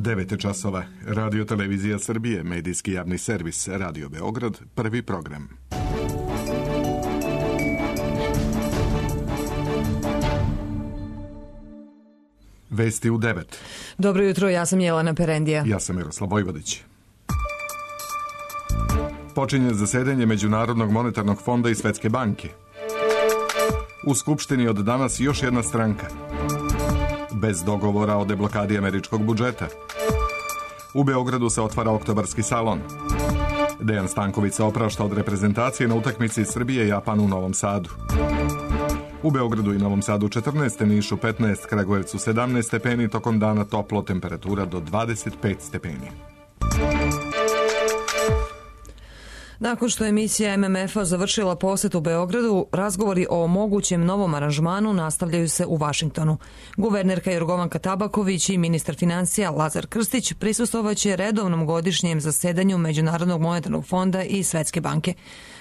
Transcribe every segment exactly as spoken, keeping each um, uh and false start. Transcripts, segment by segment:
devet časova. Radio Televizija Srbije, medijski javni servis, Radio Beograd, prvi program. Vesti u devet. Dobro jutro, ja sam Jelena Perendija. Ja sam Miroslav Vojvodić. Počinje zasedanje Međunarodnog monetarnog fonda i Svetske banke. U Skupštini od danas još jedna stranka. Bez dogovora o deblokadi američkog budžeta. U Beogradu se otvara oktobarski salon. Dejan Stanković se oprašta od reprezentacije na utakmici Srbije i Japan u Novom Sadu. U Beogradu i Novom Sadu četrnaest, Nišu petnaest, Kragujevcu sedamnaest stepeni, tokom dana toplo, temperatura do dvadeset pet stepeni. Nakon što je misija M M F-a završila posjet u Beogradu, razgovori o mogućem novom aranžmanu nastavljaju se u Vašingtonu. Guvernerka Jorgovanka Tabaković i ministar financija Lazar Krstić prisustvovaće redovnom godišnjem zasedanju Međunarodnog monetarnog fonda i Svetske banke.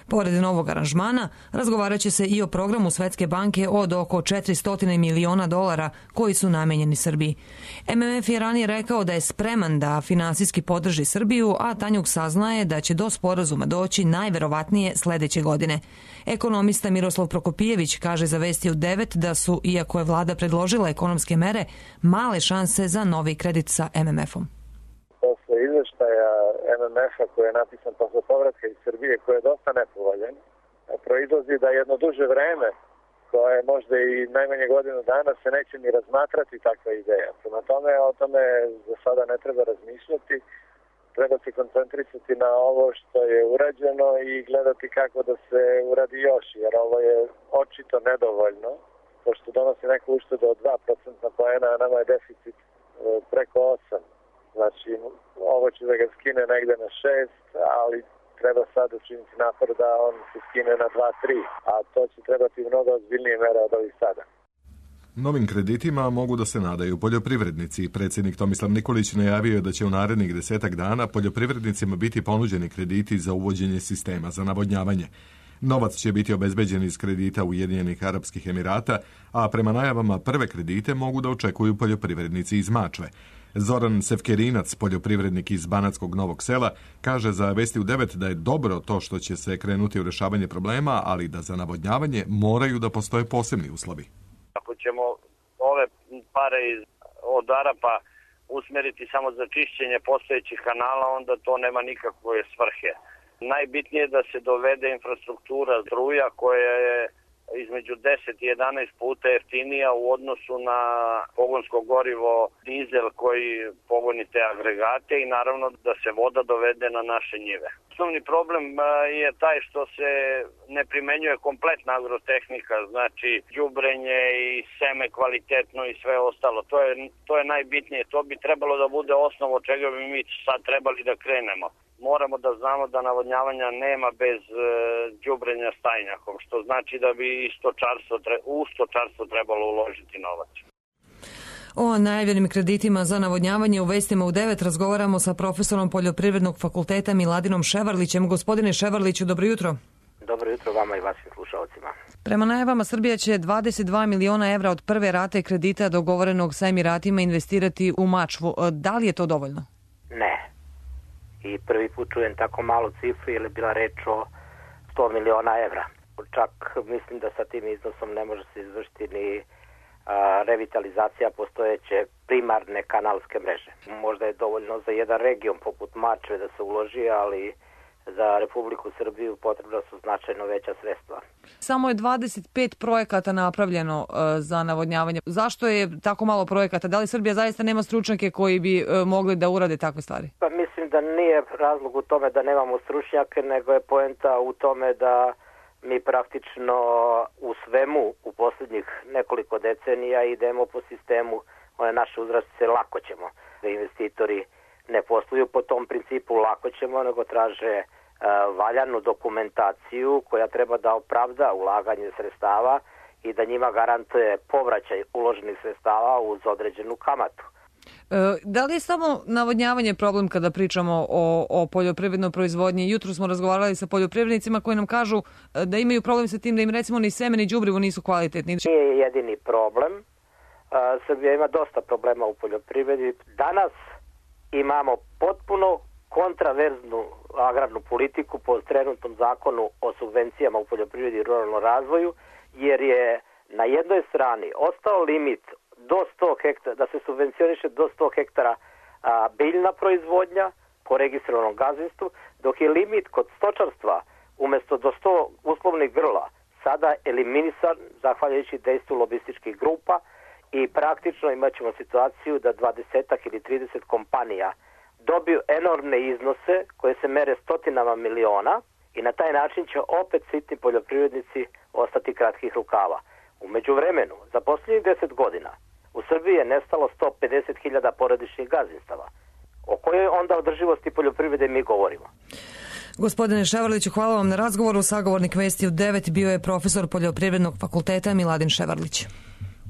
Pored novog aranžmana, razgovarat će se i o programu Svetske banke od oko četiristo miliona dolara koji su namenjeni Srbiji. M M F je ranije rekao da je spreman da finansijski podrži Srbiju, a Tanjug saznaje da će do sporazuma doći najverovatnije sledeće godine. Ekonomista Miroslav Prokopijević kaže za Vesti u devet da su, iako je vlada predložila ekonomske mere, male šanse za novi kredit sa M M F-om. Posle izveštaja M M F-a koji je napisan posle povratka iz Srbije, koji je dosta nepovoljan, proizlazi da jedno duže vreme, koje je možda i najmanje godinu dana, se neće ni razmatrati takva ideja. Prema tome, o tome za sada ne treba razmišljati. Treba se koncentrisati na ovo što je urađeno i gledati kako da se uradi još, jer ovo je očito nedovoljno. Pošto donosi neku uštedu od dva procentna poena, a nama je deficit preko osam. Znači, ovo će da ga skine negde na šest, ali treba sad učiniti napor da on se skine na dva tri, a to će trebati mnogo ozbiljnije mere od ovih sada. Novim kreditima mogu da se nadaju poljoprivrednici. Predsjednik Tomislav Nikolić najavio je da će u narednih desetak dana poljoprivrednicima biti ponuđeni krediti za uvođenje sistema za navodnjavanje. Novac će biti obezbeđen iz kredita Ujedinjenih Arapskih Emirata, a prema najavama prve kredite mogu da očekuju poljoprivrednici iz Mačve. Zoran Sevkerinac, poljoprivrednik iz Banatskog Novog Sela, kaže za Vesti u devet da je dobro to što će se krenuti u rešavanje problema, ali da za navodnjavanje moraju da postoje posebni uslovi. Ako ćemo ove pare iz, od Arapa usmeriti samo za čišćenje postojećih kanala, onda to nema nikakve svrhe. Najbitnije je da se dovede infrastruktura struja koja je između deset i jedanaest puta jeftinija u odnosu na pogonsko gorivo dizel koji pogoni te agregate i naravno da se voda dovede na naše njive. Osnovni problem je taj što se ne primenjuje kompletna agrotehnika, znači đubrenje i seme kvalitetno i sve ostalo. To je, to je najbitnije. To bi trebalo da bude osnov od čega bi mi sad trebali da krenemo. Moramo da znamo da navodnjavanja nema bez đubrenja stajnjakom, što znači da bi stočarstvo, u stočarstvo trebalo uložiti novac. O najavljenim kreditima za navodnjavanje u Vestima u devet razgovaramo sa profesorom Poljoprivrednog fakulteta Miladinom Ševarlićem. Gospodine Ševarliću, dobro jutro. Dobro jutro vama i vašim slušalcima. Prema najavama Srbija će dvadeset dva miliona evra od prve rate kredita dogovorenog sa Emiratima investirati u Mačvu. Da li je to dovoljno? Ne. I prvi put čujem tako malu cifru, jer je bila reč o sto miliona evra. Čak mislim da sa tim iznosom ne može se izvršiti ni a, revitalizacija postojeće primarne kanalske mreže. Možda je dovoljno za jedan region poput Mačve da se uloži, ali za Republiku Srbiju potrebno su značajno veća sredstva. Samo je dvadeset pet projekata napravljeno uh, za navodnjavanje. Zašto je tako malo projekata? Da li Srbija zaista nema stručnjake koji bi uh, mogli da urade takve stvari? Pa mislim da nije razlog u tome da nemamo stručnjake, nego je poenta u tome da mi praktično u svemu u posljednjih nekoliko decenija idemo po sistemu one naše uzrastice lako ćemo. Da investitori ne posluju po tom principu lako ćemo, nego traže e, valjanu dokumentaciju koja treba da opravda ulaganje sredstava i da njima garantuje povraćaj uloženih sredstava uz određenu kamatu. E, da li je samo navodnjavanje problem kada pričamo o, o poljoprivrednoj proizvodnji? Jutro smo razgovarali sa poljoprivrednicima koji nam kažu da imaju problem sa tim da im recimo ni seme ni đubrivo nisu kvalitetni. Nije jedini problem. Srbija ima dosta problema u poljoprivredi. Danas imamo potpuno kontraverznu agrarnu politiku po trenutnom zakonu o subvencijama u poljoprivredi i ruralnom razvoju, jer je na jednoj strani ostao limit do sto hektara, da se subvencioniše do sto hektara a, biljna proizvodnja po registrovanom gazdinstvu, dok je limit kod stočarstva umesto do sto uslovnih grla sada eliminisan zahvaljujući dejstvu lobističkih grupa i praktično imat ćemo situaciju da dvadesetak ili trideset kompanija dobiju enormne iznose koje se mere stotinama miliona i na taj način će opet sitni poljoprivrednici ostati kratkih rukava. U međuvremenu, za posljednjih deset godina, u Srbiji je nestalo sto pedeset hiljada porodičnih gazdinstava. O kojoj onda održivosti poljoprivrede mi govorimo? Gospodine Ševarliću, hvala vam na razgovoru. Sagovornik Vesti u devet bio je profesor Poljoprivrednog fakulteta Miladin Ševarlić.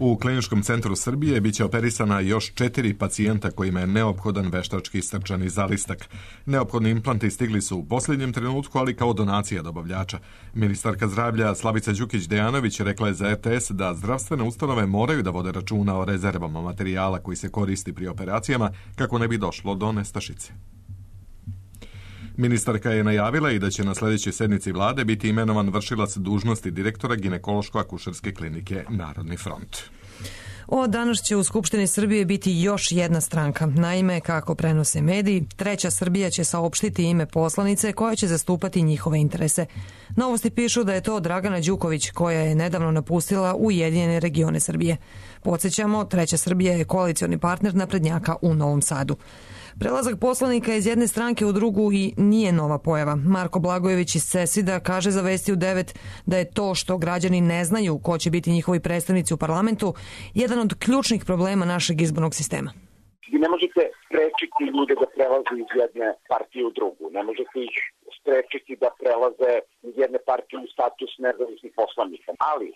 U Kliničkom centru Srbije biće operisana još četiri pacijenta kojima je neophodan veštački srčani zalistak. Neophodni implanti stigli su u posljednjem trenutku, ali kao donacija dobavljača. Ministarka zdravlja Slavica Đukić-Dejanović rekla je za R T S da zdravstvene ustanove moraju da vode računa o rezervama materijala koji se koristi pri operacijama kako ne bi došlo do nestašice. Ministarka je najavila i da će na sljedećoj sednici vlade biti imenovan vršilac dužnosti direktora ginekološko-akušerske klinike Narodni front. Od danas će u Skupštini Srbije biti još jedna stranka. Naime, kako prenose mediji, Treća Srbija će saopštiti ime poslanice koja će zastupati njihove interese. Novosti pišu da je to Dragana Đuković, koja je nedavno napustila Ujedinjene regione Srbije. Podsjećamo, Treća Srbija je koalicioni partner naprednjaka u Novom Sadu. Prelazak poslanika iz jedne stranke u drugu i nije nova pojava. Marko Blagojević iz Cesida kaže za Vesti u devet da je to što građani ne znaju ko će biti njihovi predstavnici u parlamentu jedan od ključnih problema našeg izbornog sistema. Vi ne možete sprečiti ljude da prelaze iz jedne partije u drugu. Ne možete ih sprečiti da prelaze iz jedne partije u status nezavisnih poslanika. Ali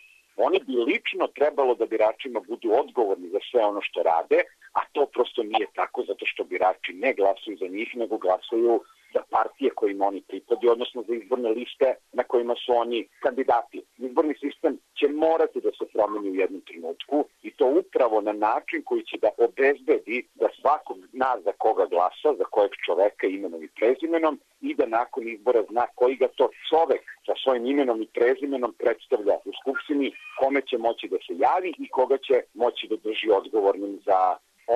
oni bi lično trebalo da biračima budu odgovorni za sve ono što rade, a to prosto nije tako zato što birači ne glasuju za njih, nego glasuju za partije kojima oni pripadaju, odnosno za izborne liste na kojima su oni kandidati. Izborni sistem će morati da se promeni u jednom trenutku i to upravo na način koji će da obezbedi da svakog zna za koga glasa, za kojeg čoveka imenom i prezimenom i da nakon izbora zna koji ga to čovek sa svojim imenom i prezimenom predstavlja u Skupštini, kome će moći da se javi i koga će moći da drži odgovornim za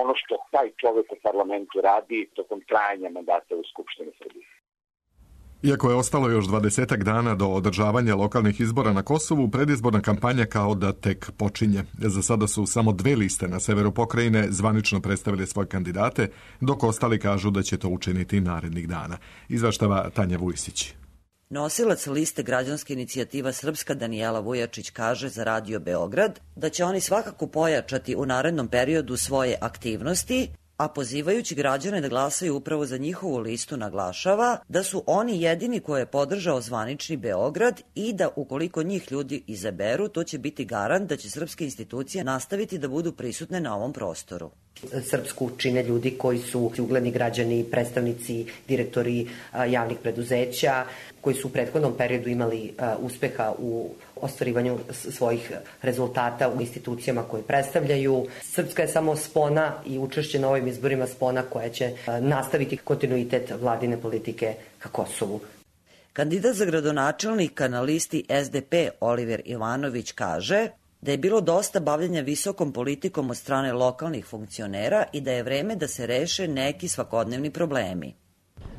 ono što taj čovek u parlamentu radi tokom trajanja mandata u Skupštini Srbije. Iako je ostalo još dvadesetak dana do održavanja lokalnih izbora na Kosovu, predizborna kampanja kao da tek počinje. Za sada su samo dve liste na severu pokrajine zvanično predstavili svoje kandidate, dok ostali kažu da će to učiniti narednih dana. Izveštava Tanja Vujsić. Nosilac liste Građanska inicijativa Srpska Danijela Vujačić kaže za Radio Beograd da će oni svakako pojačati u narednom periodu svoje aktivnosti, a pozivajući građane da glasaju upravo za njihovu listu naglašava da su oni jedini koje je podržao zvanični Beograd i da ukoliko njih ljudi izaberu, to će biti garant da će srpske institucije nastaviti da budu prisutne na ovom prostoru. Srpsku čine ljudi koji su ugledni građani, predstavnici, direktori javnih preduzeća, koji su u prethodnom periodu imali uspeha u ostvarivanju svojih rezultata u institucijama koje predstavljaju. Srpska je samo spona i učešće na ovim izborima spona koja će nastaviti kontinuitet vladine politike ka Kosovu. Kandidat za gradonačelnika na listi S D P Oliver Ivanović kaže da je bilo dosta bavljenja visokom politikom od strane lokalnih funkcionera i da je vreme da se reše neki svakodnevni problemi.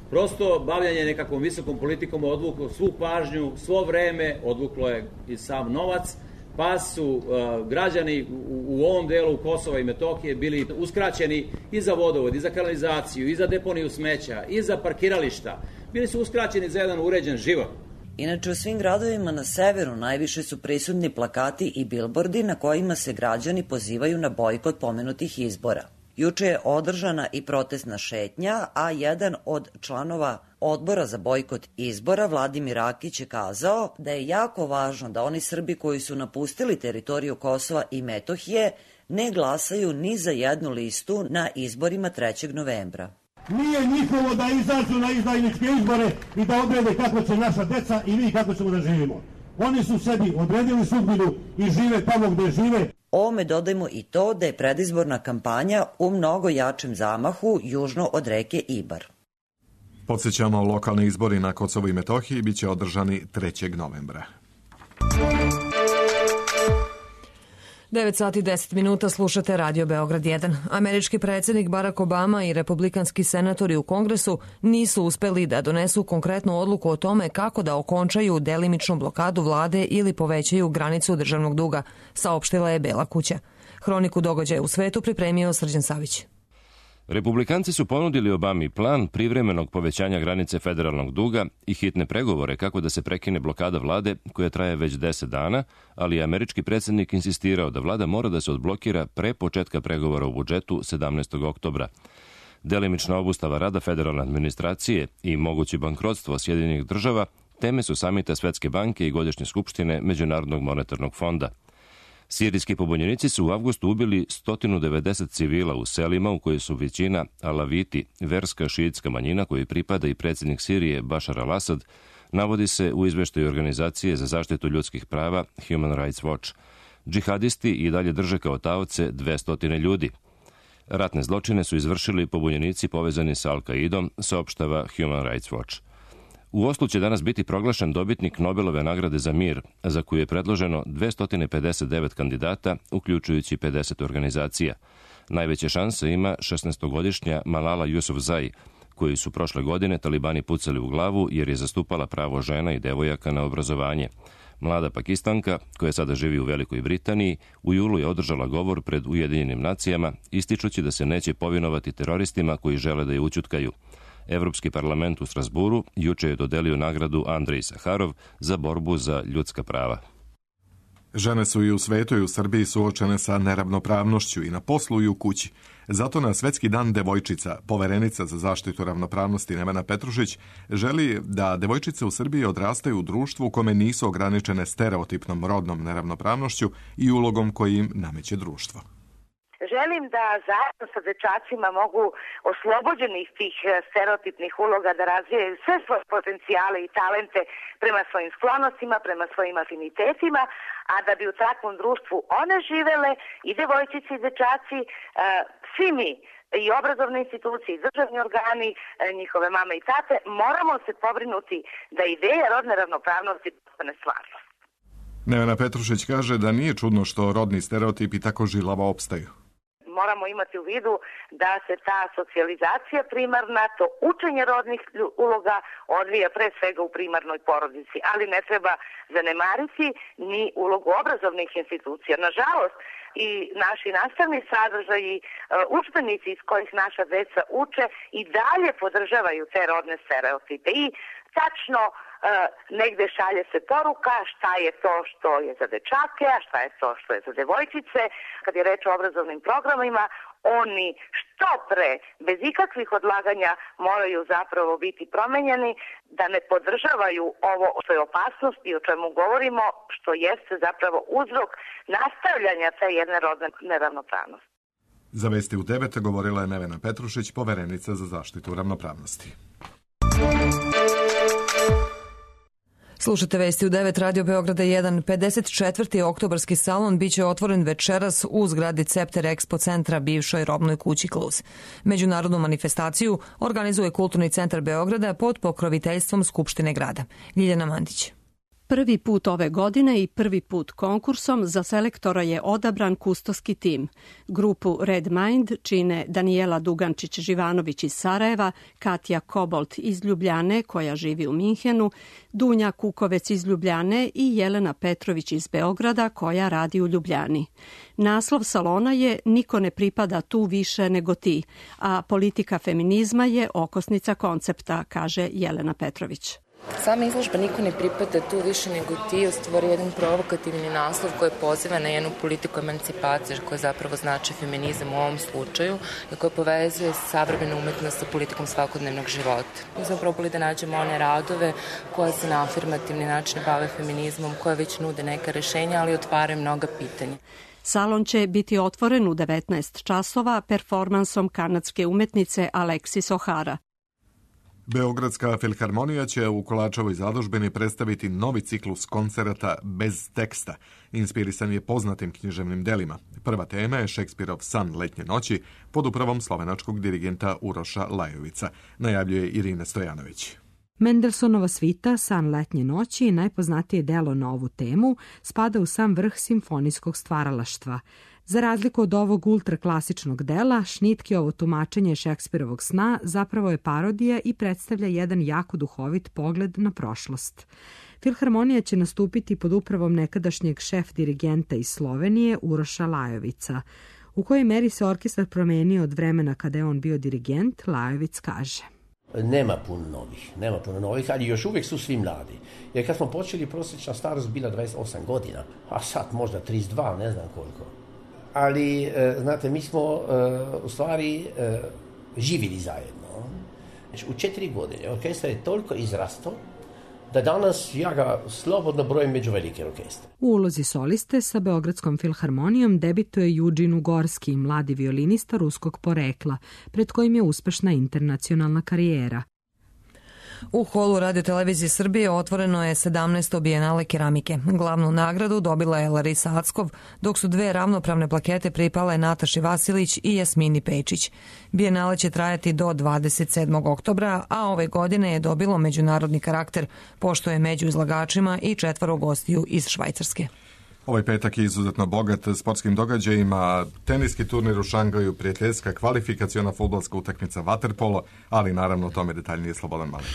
Prosto bavljanje nekakvom visokom politikom odvuklo svu pažnju, svo vreme, odvuklo je i sam novac, pa su uh, građani u, u ovom delu Kosova i Metohije bili uskraćeni i za vodovod, i za kanalizaciju, i za deponiju smeća, i za parkirališta. Bili su uskraćeni za jedan uređen život. Inače, u svim gradovima na severu najviše su prisutni plakati i bilbordi na kojima se građani pozivaju na bojkot pomenutih izbora. Juče je održana i protestna šetnja, a jedan od članova odbora za bojkot izbora, Vladimir Rakić, je kazao da je jako važno da oni Srbi koji su napustili teritoriju Kosova i Metohije ne glasaju ni za jednu listu na izborima trećeg novembra. Nije njihovo da izađu na izdajničke izbore i da odrede kako će naša deca i mi kako ćemo da živimo. Oni su sebi odredili sudbinu i žive tamo gde žive. Ovome dodajmo i to da je predizborna kampanja u mnogo jačem zamahu južno od reke Ibar. Podsjećamo, lokalni izbori na Kosovu i Metohiji biće održani trećeg novembra. devet sati i deset minuta, slušate Radio Beograd jedan. Američki predsjednik Barack Obama i republikanski senatori u Kongresu nisu uspeli da donesu konkretnu odluku o tome kako da okončaju delimičnu blokadu vlade ili povećaju granicu državnog duga, saopštila je Bela kuća. Hroniku događaja u svetu pripremio Srđan Savić. Republikanci su ponudili Obami plan privremenog povećanja granice federalnog duga i hitne pregovore kako da se prekine blokada vlade koja traje već deset dana, ali je američki predsjednik insistirao da vlada mora da se odblokira pre početka pregovora u budžetu sedamnaestog oktobra. Delimična obustava rada federalne administracije i moguće bankrotstvo Sjedinjenih država teme su samita Svetske banke i godišnje skupštine Međunarodnog monetarnog fonda. Sirijski pobunjenici su u avgustu ubili sto devedeset civila u selima u kojoj su većina alaviti, verska šiitska manjina koju pripada i predsjednik Sirije Bašar al-Asad, navodi se u izveštaju Organizacije za zaštitu ljudskih prava Human Rights Watch. Džihadisti i dalje drže kao taoce dvesta ljudi. Ratne zločine su izvršili pobunjenici povezani sa Al-Qaidom, saopštava Human Rights Watch. U Oslu će danas biti proglašen dobitnik Nobelove nagrade za mir, za koju je predloženo dvesta pedeset devet kandidata, uključujući pedeset organizacija. Najveće šanse ima šesnaestogodišnja Malala Yousafzai, koju su prošle godine talibani pucali u glavu jer je zastupala pravo žena i devojaka na obrazovanje. Mlada Pakistanka, koja sada živi u Velikoj Britaniji, u julu je održala govor pred Ujedinjenim nacijama, ističući da se neće povinovati teroristima koji žele da je ućutkaju. Evropski parlament u Strasburu juče je dodelio nagradu Andrej Saharov za borbu za ljudska prava. Žene su i u svetu i u Srbiji suočene sa neravnopravnošću i na poslu i u kući. Zato na Svetski dan devojčica, poverenica za zaštitu ravnopravnosti Nevena Petrušić, želi da devojčice u Srbiji odrastaju u društvu u kome nisu ograničene stereotipnom rodnom neravnopravnošću i ulogom koji im nameće društvo. Želim da zajedno sa dečacima mogu oslobođenih tih stereotipnih uloga da razvijaju sve svoje potencijale i talente prema svojim sklonostima, prema svojim afinitetima, a da bi u takvom društvu one živele, i devojčice i dečaci, svi mi, i obrazovne institucije, i državni organi, njihove mame i tate, moramo se pobrinuti da ideja rodne ravnopravnosti postane stvarnost. Nevena Petrušić kaže da nije čudno što rodni stereotipi tako žilavo opstaju. Moramo imati u vidu da se ta socijalizacija primarna, to učenje rodnih uloga odvija pre svega u primarnoj porodici, ali ne treba zanemariti ni ulogu obrazovnih institucija. Nažalost, i naši nastavni sadržaji, udžbenici iz kojih naša deca uče i dalje podržavaju te rodne stereotipe i tačno negde šalje se poruka šta je to što je za dečake, a šta je to što je za devojčice. Kad je reč o obrazovnim programima, oni što pre, bez ikakvih odlaganja, moraju zapravo biti promenjeni, da ne podržavaju ovo što je opasnost i o čemu govorimo, što jeste zapravo uzrok nastavljanja te jedne rodne neravnopravnosti. Za Vesti u devet govorila je Nevena Petrušić, poverenica za zaštitu ravnopravnosti. Slušate Vesti u devet, Radio Beograda jedan. pedeset četvrti oktobarski salon biće otvoren večeras u zgradi Cepter Expo centra, bivšoj robnoj kući Kluz. Međunarodnu manifestaciju organizuje Kulturni centar Beograda pod pokroviteljstvom Skupštine grada. Ljiljana Mandić. Prvi put ove godine i prvi put konkursom za selektora je odabran kustoski tim. Grupu Red Mind čine Danijela Dugančić-Živanović iz Sarajeva, Katja Kobolt iz Ljubljane, koja živi u Minhenu, Dunja Kukovec iz Ljubljane i Jelena Petrović iz Beograda, koja radi u Ljubljani. Naslov salona je Niko ne pripada tu više nego ti, a politika feminizma je okosnica koncepta, kaže Jelena Petrović. Sama izložba Niko ne pripada tu više nego ti stvori jedan provokativni naslov koji poziva na jednu politiku emancipacije, koja zapravo znači feminizam u ovom slučaju i koja povezuje savremenu umetnost sa politikom svakodnevnog života. Mi smo probali da nađemo one radove koje se na afirmativni način bave feminizmom, koje već nude neka rešenja, ali otvaraju mnoga pitanja. Salon će biti otvoren u devetnaest časova performansom kanadske umetnice Alexis O'Hara. Beogradska filharmonija će u Kolačevoj zadužbini predstaviti novi ciklus koncerata bez teksta. Inspirisan je poznatim književnim delima. Prva tema je Šekspirov San letnje noći pod upravom slovenačkog dirigenta Uroša Lajovica, najavljuje Irina Stojanović. Mendelssohnova svita San letnje noći, najpoznatije delo na ovu temu, spada u sam vrh simfonijskog stvaralaštva. Za razliku od ovog ultraklasičnog dela, Šnitkiovo tumačenje Šekspirovog sna zapravo je parodija i predstavlja jedan jako duhovit pogled na prošlost. Filharmonija će nastupiti pod upravom nekadašnjeg šef dirigenta iz Slovenije Uroša Lajovica. U kojoj meri se orkestar promenio od vremena kada je on bio dirigent, Lajovic kaže. Nema puno novih, nema puno novih, ali još uvijek su svi mladi. Jer kad smo počeli, prosječna starost bila dvadeset osam godina, a sad možda trideset dva, ne znam koliko. Ali, znate, mi smo u stvari živjeli zajedno. U četiri godine orkestar je toliko izrastao da danas ja ga slobodno brojim među velike orkestre. U ulozi soliste sa Beogradskom filharmonijom debituje Juđin Ugorski, mladi violinista ruskog porekla, pred kojim je uspešna internacionalna karijera. U holu Radio-televizije Srbije otvoreno je sedamnaesto bijenale keramike. Glavnu nagradu dobila je Larisa Ackov, dok su dve ravnopravne plakete pripale Nataši Vasilić i Jasmini Pečić. Bijenale će trajati do dvadeset sedmog oktobra, a ove godine je dobilo međunarodni karakter, pošto je među izlagačima i četvoro gostiju iz Švajcarske. Ovaj petak je izuzetno bogat sportskim događajima, teniski turnir u Šangaju, prijateljska kvalifikaciona fudbalska utakmica vaterpolo, ali naravno o tome detaljnije Slobodan Malić.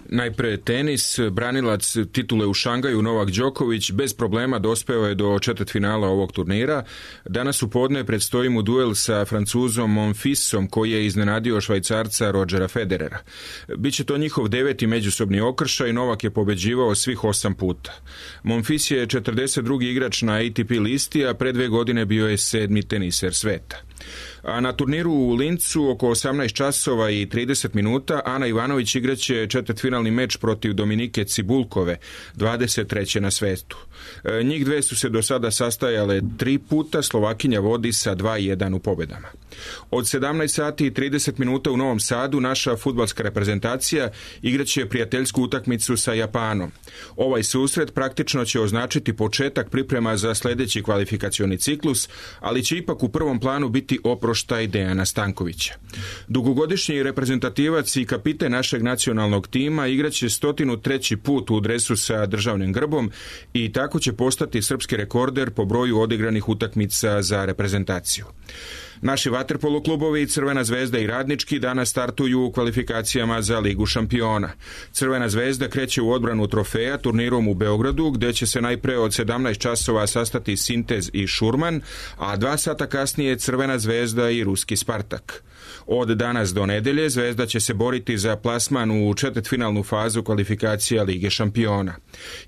Najpre tenis, branilac titule u Šangaju Novak Đoković bez problema dospeo je do četvrtfinala ovog turnira. Danas u podne predstoji mu duel sa Francuzom Monfisom koji je iznenadio Švajcarca Rodgera Federera. Biće to njihov deveti međusobni okršaj, Novak je pobeđivao svih osam puta. Monfis je četrdeset drugi igrač na A T P listi, a pre dve godine bio je sedmi teniser sveta. A na turniru u Lincu oko osamnaest časova i trideset minuta Ana Ivanović igraće četvrtfinalni meč protiv Dominike Cibulkove, dvadeset treće na svetu. E, njih dve su se do sada sastajale tri puta, Slovakinja vodi sa dva jedan u pobedama. Od sedamnaest sati i trideset minuta u Novom Sadu naša fudbalska reprezentacija igraće prijateljsku utakmicu sa Japanom. Ovaj susret praktično će označiti početak priprema za sljedeći kvalifikacioni ciklus, ali će ipak u prvom planu biti oproštaj Dejana Stankovića. Dugogodišnji reprezentativac i kapiten našeg nacionalnog tima igraće stotinu treći put u dresu sa državnim grbom i tako će postati srpski rekorder po broju odigranih utakmica za reprezentaciju. Naši vaterpolo klubovi Crvena zvezda i Radnički danas startuju u kvalifikacijama za Ligu šampiona. Crvena zvezda kreće u odbranu trofeja turnirom u Beogradu, gdje će se najpre od sedamnaest časova sastati Sintez i Šurman, a dva sata kasnije Crvena zvezda i Ruski Spartak. Od danas do nedelje Zvezda će se boriti za plasman u četvrtfinalnu fazu kvalifikacija Lige šampiona.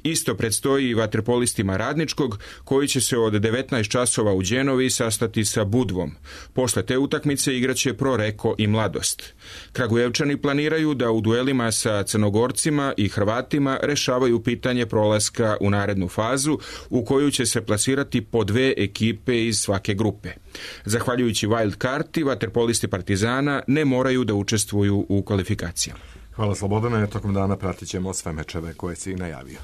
Isto predstoji i vaterpolistima Radničkog, koji će se od devetnaest časova u Đenovi sastati sa Budvom. Posle te utakmice igraće Pro Reko i Mladost. Kragujevčani planiraju da u duelima sa Crnogorcima i Hrvatima rešavaju pitanje prolaska u narednu fazu, u koju će se plasirati po dve ekipe iz svake grupe. Zahvaljujući wild karti, vaterpolisti Partizana ne moraju da učestvuju u kvalifikacijama. Hvala Slobodane, tokom dana pratit ćemo sve mečeve koje si najavio.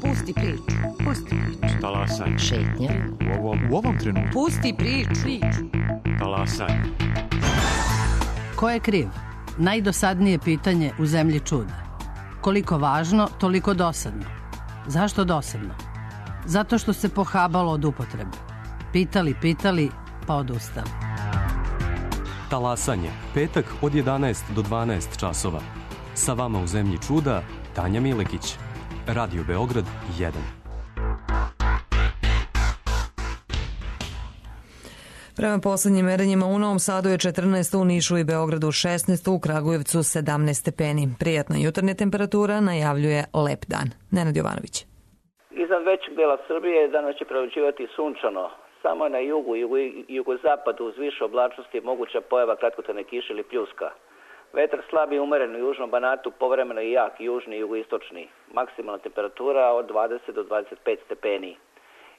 Pusti priču, pusti priču. Talasaj. Šetnja. U ovom, u ovom trenutku. Pusti priču. priču. Talasaj. Ko je kriv? Najdosadnije pitanje u zemlji čuda. Koliko važno, toliko dosadno. Zašto dosadno? Zato što se pohabalo od upotrebe. Pitali, pitali, pa odustali. Talasanje. Petak od jedanaest do dvanaest časova. Sa vama u zemlji čuda, Tanja Milekić. Radio Beograd jedan. Prema poslednjim merenjima u Novom Sadu je četrnaest, u Nišu i Beogradu šesnaest, u Kragujevcu sedamnaest stepeni. Prijatna jutarnja temperatura najavljuje lep dan. Nenad Jovanović. Iznad većeg dela Srbije danas će prevlađivati sunčano. Samo na jugu i jugu, jugozapadu uz više oblačnosti je moguća pojava kratkotrajne kiše ili pljuska. Vetar slab i umeren u južnom Banatu, povremeno i jak južni i jugoistočni. Maksimalna temperatura od dvadeset do dvadeset pet stepeni.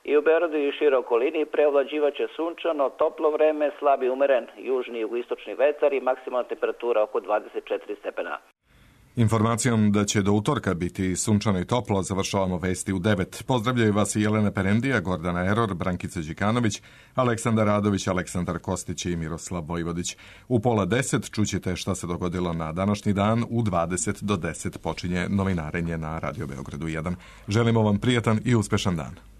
I u Beogradu i šire okolini preovlađivaće sunčano, toplo vreme, slabi umeren južni i jugoistočni vetar i maksimalna temperatura oko dvadeset četiri stepena. Informacijom da će do utorka biti sunčano i toplo završavamo vesti u devet. Pozdravljaju vas i Jelena Perendija, Gordana Eror, Brankica Đikanović, Aleksandar Radović, Aleksandar Kostić i Miroslav Vojvodić. U pola deset čućete šta se dogodilo na današnji dan. U dvadeset do deset počinje novinarenje na Radio Beogradu jedan. Želimo vam prijatan i uspešan dan.